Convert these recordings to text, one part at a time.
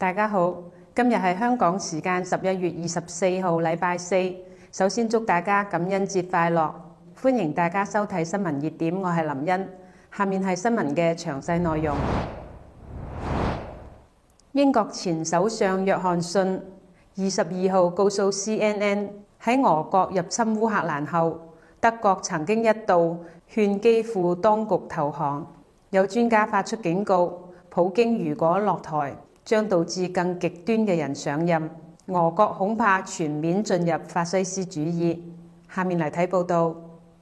大家好，今日係香港時間11月24號，禮拜四。首先祝大家感恩節快樂，歡迎大家收睇新聞熱點，我係林茵。下面係新聞嘅詳細內容。英國前首相約翰遜22號告訴 CNN， 喺俄國入侵烏克蘭後，德國曾經一度勸基輔當局投降。有專家發出警告，普京如果落台，將導致更極端嘅人上任，俄國恐怕全面進入法西斯主義。下面嚟睇報道。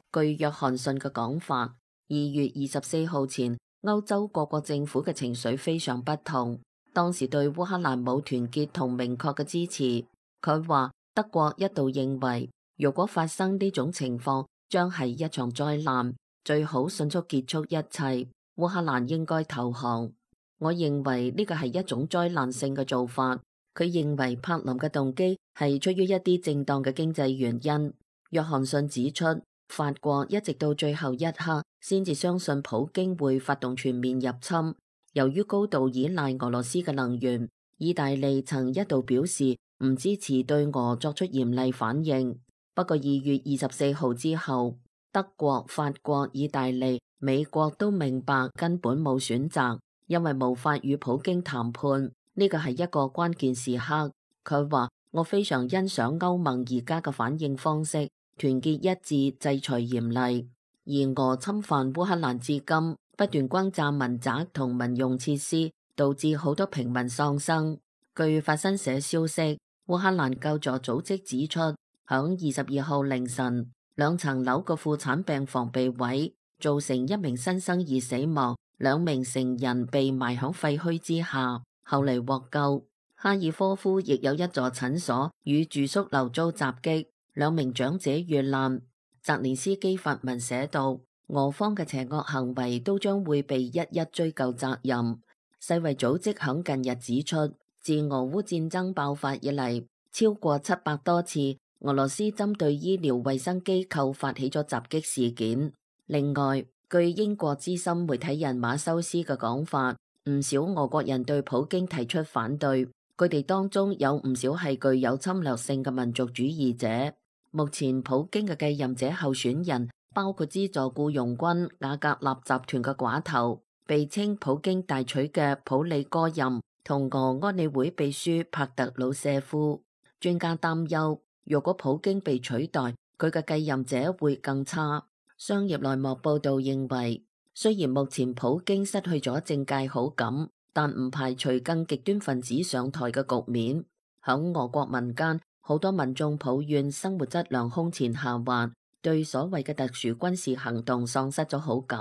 據約翰遜嘅講法，2月24號前，歐洲各國政府嘅情緒非常不同。當時對烏克蘭冇團結同明確嘅支持。佢話德國一度認為，如果發生呢種情況，將係一場災難，最好迅速結束一切。烏克蘭應該投降。我認為呢個係一種災難性嘅做法。佢認為柏林嘅動機係出於一啲正當嘅經濟原因。約翰遜指出，法國一直到最後一刻先至相信普京會發動全面入侵。由於高度依賴俄羅斯嘅能源，意大利曾一度表示唔支持對俄作出嚴厲反應。不過2月24號之後，德國、法國、意大利、美國都明白根本冇選擇，因為無法與普京談判。呢個係一個關鍵時刻。佢話：我非常欣賞歐盟而家嘅反應方式，團結一致，制裁嚴厲。而俄侵犯烏克蘭至今，不斷轟炸民宅同民用設施，導致好多平民喪生。據法新社消息，烏克蘭救助組織指出，響22號凌晨，2層樓嘅婦產病房被毀，造成1名新生兒死亡，2名成人被埋響廢墟之下，後嚟獲救。哈爾科夫亦有一座診所與住宿樓遭襲擊，2名長者遇難。澤連斯基發文寫道，俄方嘅邪惡行為都將會被一一追究責任。世衛組織響近日指出，自俄烏戰爭爆發以嚟，超過700多次俄羅斯針對醫療衛生機構發起咗襲擊事件。另外，據英國資深媒體人馬修斯嘅講法，唔少俄國人對普京提出反對，佢哋當中有唔少係具有侵略性嘅民族主義者。目前普京嘅繼任者候選人包括資助僱傭軍瓦格納集團嘅寡頭，被稱普京大娶嘅普里戈任，同俄安理會秘書帕特魯舍夫。專家擔憂，如果普京被取代，佢嘅繼任者會更差。商業內幕報道認為，雖然目前普京失去咗政界好感，但唔排除更極端分子上台嘅局面。響俄國民間，好多民眾抱怨生活質量空前下滑，對所謂嘅特殊軍事行動喪失咗好感。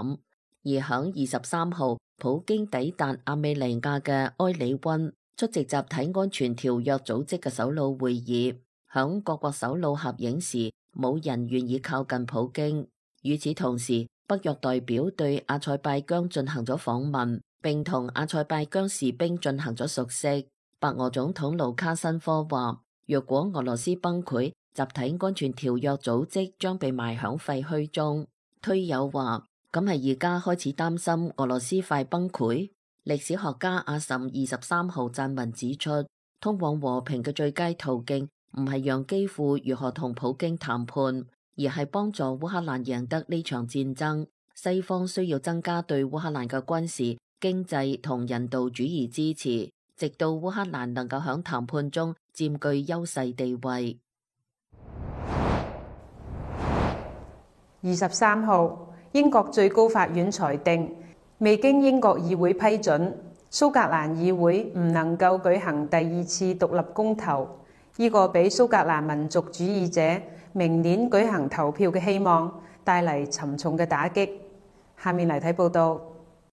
而響23號，普京抵達亞美尼亞嘅埃里溫，出席集體安全條約組織嘅首腦會議。響各國首腦合影時，冇人願意靠近普京。與此同時，北約代表對阿塞拜疆進行咗訪問，並同阿塞拜疆士兵進行咗熟悉。白俄總統盧卡申科話，若果俄羅斯崩潰，集體安全條約組織將被埋響廢墟中。推友話，咁係而家開始擔心俄羅斯快崩潰。歷史學家阿什23號撰文指出，通往和平嘅最佳途徑唔係讓基輔如何同普京談判，而係幫助烏克蘭贏得呢場戰爭。西方需要增加對烏克蘭嘅軍事、經濟同人道主義支持，直到烏克蘭能夠響談判中佔據優勢地位。23號，英國最高法院裁定，未經英國議會批准，蘇格蘭議會唔能夠舉行第2次獨立公投，呢個俾蘇格蘭民族主義者明年舉行投票嘅希望帶嚟沉重嘅打擊。下面嚟睇報道。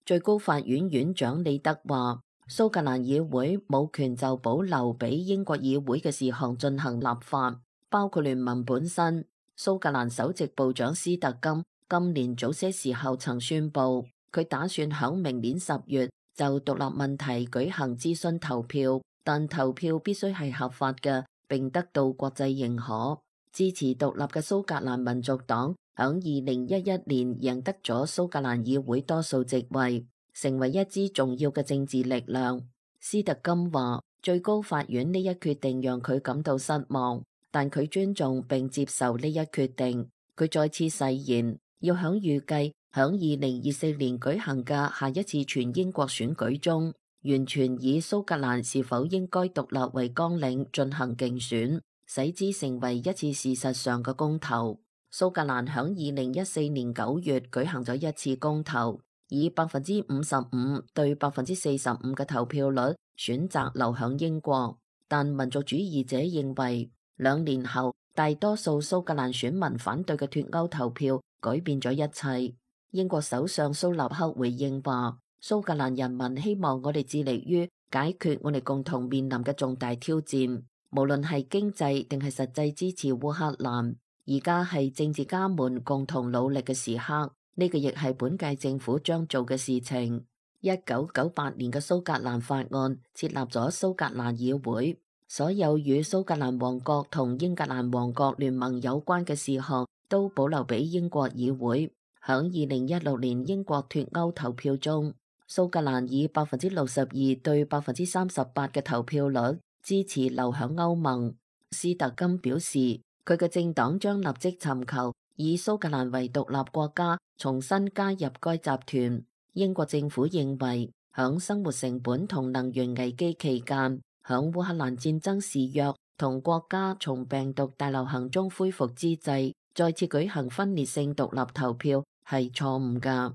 最高法院院長李德話，蘇格蘭議會冇權就保留俾英國議會嘅事項進行立法，包括聯盟本身。蘇格蘭首席部長斯特金今年早些時候曾宣布，佢打算響明年10月就獨立問題舉行諮詢投票，但投票必須係合法嘅，並得到國際認可。支持獨立嘅蘇格蘭民族黨響2011年贏得咗蘇格蘭議會多數席位，成為一支重要嘅政治力量。斯特金話，最高法院呢一決定讓佢感到失望，但佢尊重並接受呢一決定。佢再次誓言要響預計響2024年舉行嘅下一次全英國選舉中，完全以蘇格蘭是否應該獨立為綱領進行競選，使之成為一次事實上嘅公投。蘇格蘭響2014年9月舉行咗一次公投，以55%對45%嘅投票率選擇留響英國，但民族主義者認為2年後大多數蘇格蘭選民反對嘅脫歐投票改變咗一切。英國首相蘇納克回應話：蘇格蘭人民希望我哋致力於解決我哋共同面臨嘅重大挑戰，無論係經濟定係實際支持烏克蘭。而家係政治家們共同努力嘅時刻，呢個亦係本屆政府將做嘅事情。1998年嘅蘇格蘭法案設立咗蘇格蘭議會，所有與蘇格蘭王國同英格蘭王國聯盟有關嘅事項都保留俾英國議會。響2016年英國脫歐投票中，蘇格蘭以62%對38%嘅投票率支持留響歐盟。斯特金表示，佢嘅政黨將立即尋求以蘇格蘭為獨立國家重新加入該集團。英國政府認為，響生活成本同能源危機期間，響烏克蘭戰爭肆虐同國家從病毒大流行中恢復之際，再次舉行分裂性獨立投票係錯誤㗎。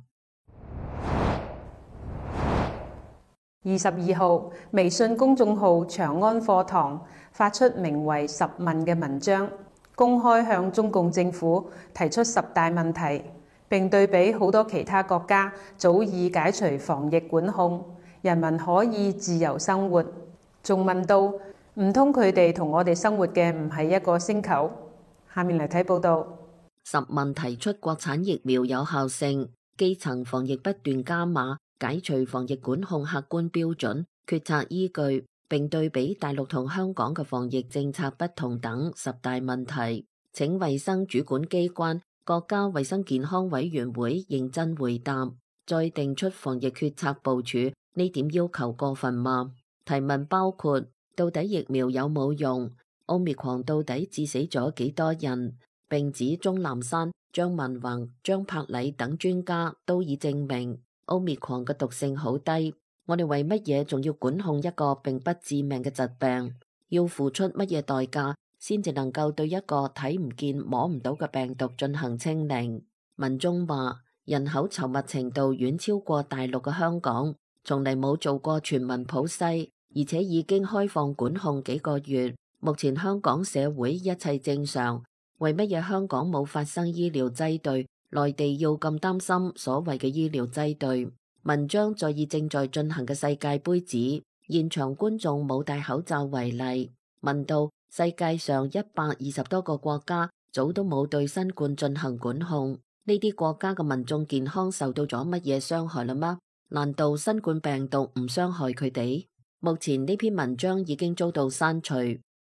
22號，微信公眾號長安課堂發出名為10問嘅文章，公開向中共政府提出10大問題，並對比好多其他國家早已解除防疫管控，人民可以自由生活。仲問到唔通佢哋同我哋生活嘅唔係一個星球？下面嚟睇報道。10問提出國產疫苗有效性、基層防疫不斷加碼、解除防疫管控客觀標準、決策依據，並對比大陸同香港嘅防疫政策不同等10大問題，請衛生主管機關國家衛生健康委員會認真回答，再定出防疫決策部署。呢點要求過分嗎？提問包括：到底疫苗有冇用？Omicron到底致死咗幾多人？並指鍾南山、張文宏、張柏禮等專家都已證明 Omicron 嘅毒性好低。我哋為乜嘢仲要管控一個並不致命嘅疾病？要付出乜嘢代價先至能夠對一個睇唔見摸唔到嘅病毒進行清零？文中話，人口稠密程度遠超過大陸嘅香港，從嚟冇做過全民普篩，而且已經開放管控幾個月。目前香港社會一切正常，為乜嘢香港冇發生醫療擠兌？內地要咁擔心所謂嘅醫療擠兌？文章再以正在進行嘅世界盃指現場觀眾冇戴口罩為例，問到世界上120多個國家早都冇對新冠進行管控，呢啲國家嘅民眾健康受到咗乜嘢傷害啦嗎？難道新冠病毒唔傷害佢哋？目前呢篇文章已經遭到刪除，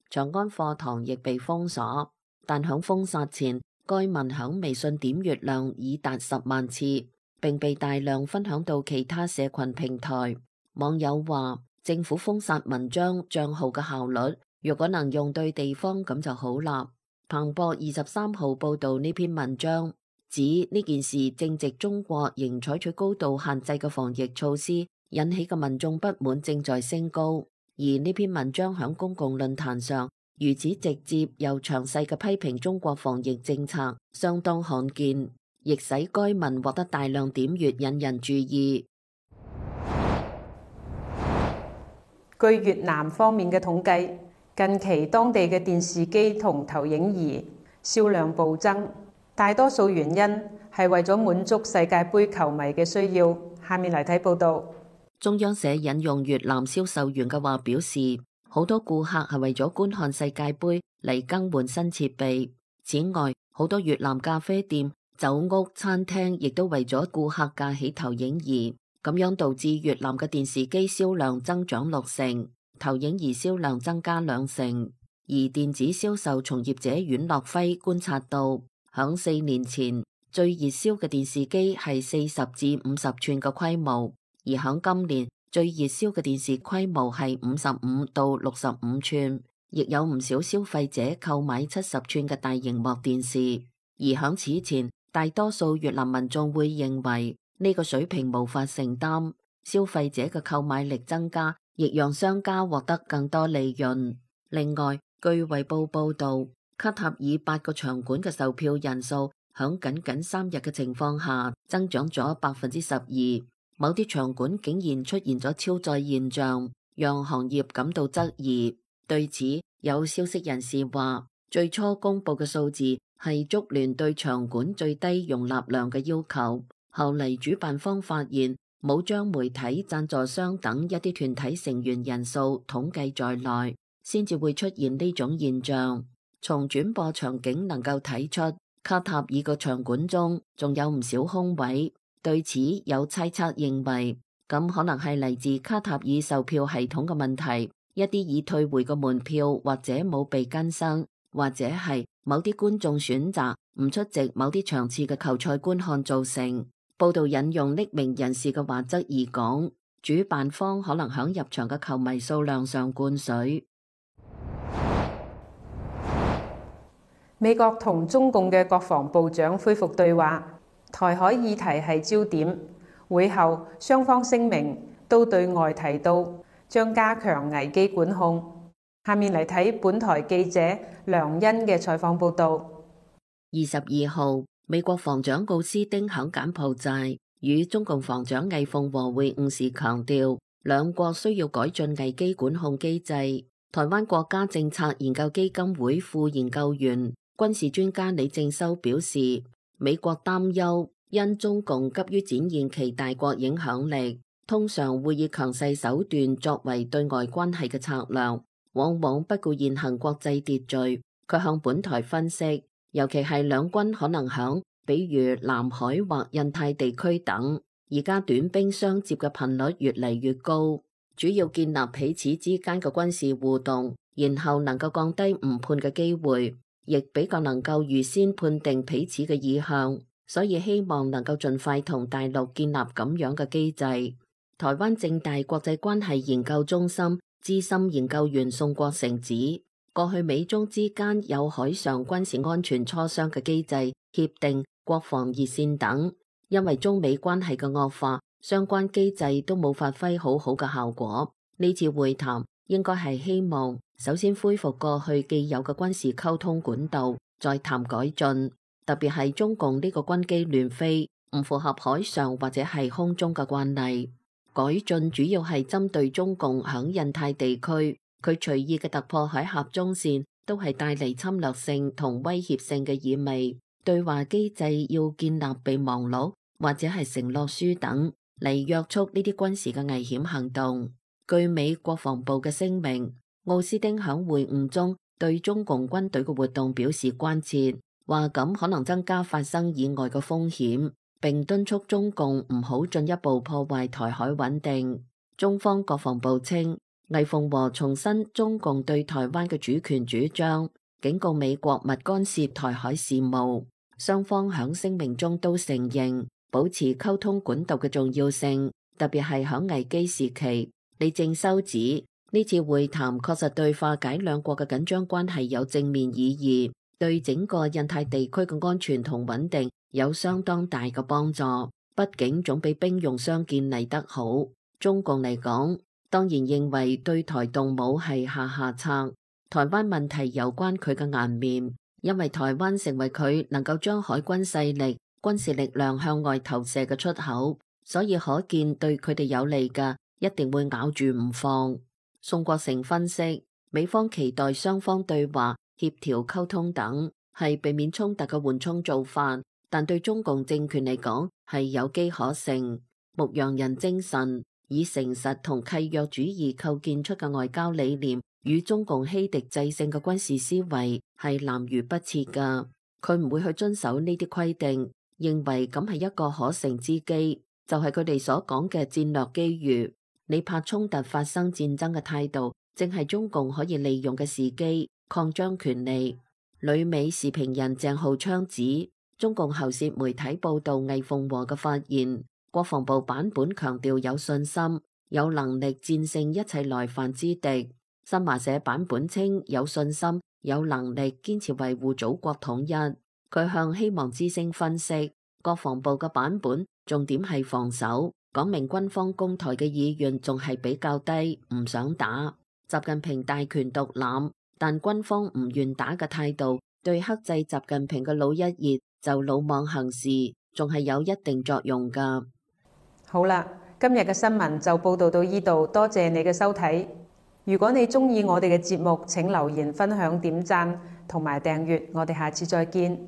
長安課堂亦被封鎖，但響封殺前，該文響微信點閱量已達10萬次，並被大量分享到其他社群平台。網友話，政府封殺文章賬號嘅效率，如果能用對地方咁就好啦。彭博23號報道呢篇文章，指呢件事正值中國仍採取高度限制嘅防疫措施，引起嘅民眾不滿正在升高。而呢篇文章響公共論壇上如此直接又詳細嘅批評中國防疫政策，相當罕見，亦使該文獲得大量點閱，引人注意。據越南方面嘅統計，近期當地嘅電視機同投影儀銷量暴增，大多數原因係為咗滿足世界盃球迷嘅需要。下面嚟睇報道。中央社引用越南銷售員嘅話表示，好多顧客係為咗觀看世界盃嚟更換新設備。此外，好多越南咖啡店、酒屋、餐廳亦都為咗顧客架起投影儀，咁樣導致越南嘅電視機銷量增長6成，投影儀銷量增加2成。而電子銷售從業者阮樂輝觀察到，響4年前最熱銷嘅電視機係40至50寸嘅規模，而響今年最熱銷嘅電視規模係55到65寸，亦有唔少消費者購買70寸嘅大螢幕電視。而響此前，大多數越南民眾會認為呢個水平無法承擔，消費者嘅購買力增加，亦讓商家獲得更多利潤。另外，據衛報報導，卡塔爾8個場館嘅售票人數響僅3日嘅情況下增長咗12%，某啲場館竟然出現咗超載現象，讓行業感到質疑。對此，有消息人士話，最初公佈嘅數字係足聯對場館最低容納量嘅要求，後嚟主辦方發現冇將媒體、贊助商等一啲團體成員人數統計在內，先至會出現呢種現象。從轉播場景能夠睇出，卡塔爾個場館中仲有唔少空位。對此有猜測認為，咁可能係嚟自卡塔爾售票系統嘅問題，一啲已退回嘅門票或者冇被更新，或者係某啲觀眾選擇唔出席某啲場次嘅球賽觀看造成。報道引用匿名人士嘅話則而講，主辦方可能響入場嘅球迷數量上灌水。美國同中共嘅國防部長恢復對話，台海議題係焦點。會後雙方聲明都對外提到將加強危機管控。下面嚟睇本台記者梁欣嘅採訪報導。22號，美國防長奧斯汀響柬埔寨與中共防長魏鳳和會晤時強調，兩國需要改進危機管控機制。台灣國家政策研究基金會副研究員、軍事專家李正修表示，美國擔憂因中共急於展現其大國影響力，通常會以強勢手段作為對外關係嘅策略，往往不顧現行國際秩序。佢向本台分析，尤其係兩軍可能響比如南海或印太地區等，而家短兵相接嘅頻率越嚟越高，主要建立彼此之間嘅軍事互動，然後能夠降低誤判嘅機會，亦比較能夠預先判定彼此嘅意向，所以希望能夠盡快同大陸建立咁樣嘅機制。台灣政大國際關係研究中心資深研究員宋國成指，過去美中之間有海上軍事安全磋商嘅機制、協定、國防熱線等，因為中美關係嘅惡化，相關機制都冇發揮好好嘅效果。呢次會談應該係希望首先恢復過去既有嘅軍事溝通管道，再談改進。特別係中共呢個軍機亂飛，唔符合海上或者係空中嘅慣例。改進主要係針對中共響印太地區，佢隨意嘅突破海峽中線，都係帶嚟侵略性同威脅性嘅意味。對話機制要建立備忘錄或者係承諾書等嚟約束呢啲軍事嘅危險行動。據美國防部嘅聲明，奧斯汀響會晤中對中共軍隊嘅活動表示關切，話咁可能增加發生意外嘅風險，並敦促中共唔好進一步破壞台海穩定。中方國防部稱，魏鳳和重申中共對台灣嘅主權主張，警告美國勿干涉台海事務。雙方響聲明中都承認保持溝通管道嘅重要性，特別係響危機時期。李正修指，呢次會談確實對化解兩國嘅緊張關係有正面意義，對整個印太地區嘅安全同穩定有相當大嘅幫助。畢竟總比兵戎相見嚟得好。中共嚟講，當然認為對台動武係下策。台灣問題有關佢嘅顏面，因為台灣成為佢能夠將海軍勢力、軍事力量向外投射嘅出口，所以可見對佢哋有利嘅，一定會咬住唔放。宋國成分析，美方期待雙方對話、協調、溝通等，係避免衝突嘅緩衝做法，但對中共政權嚟講係有機可乘。牧羊人精神，以誠實同契約主義構建出嘅外交理念，與中共欺敵制勝嘅軍事思維係南轅北轍㗎。佢唔會去遵守呢啲規定，認為咁係一個可乘之機，就係佢哋所講嘅戰略機遇。你怕衝突發生戰爭嘅態度，正係中共可以利用嘅時機，擴張權力。旅美時評人鄭浩昌指，中共喉舌媒體報道魏鳳和嘅發言，國防部版本強調有信心，有能力戰勝一切來犯之敵。新華社版本稱有信心、有能力堅持維護祖國統一。佢向希望之聲分析，國防部嘅版本重點係防守，講明軍方攻台嘅意願仲係比較低，唔想打。習近平大權獨攬，但軍方唔願打嘅態度，對克制習近平嘅老一熱就魯莽行事，仲係有一定作用㗎。好啦，今日嘅新聞就報道到呢度，多謝你嘅收睇。如果你鍾意我哋嘅節目，請留言、分享、點讚同埋訂閱，我哋下次再見。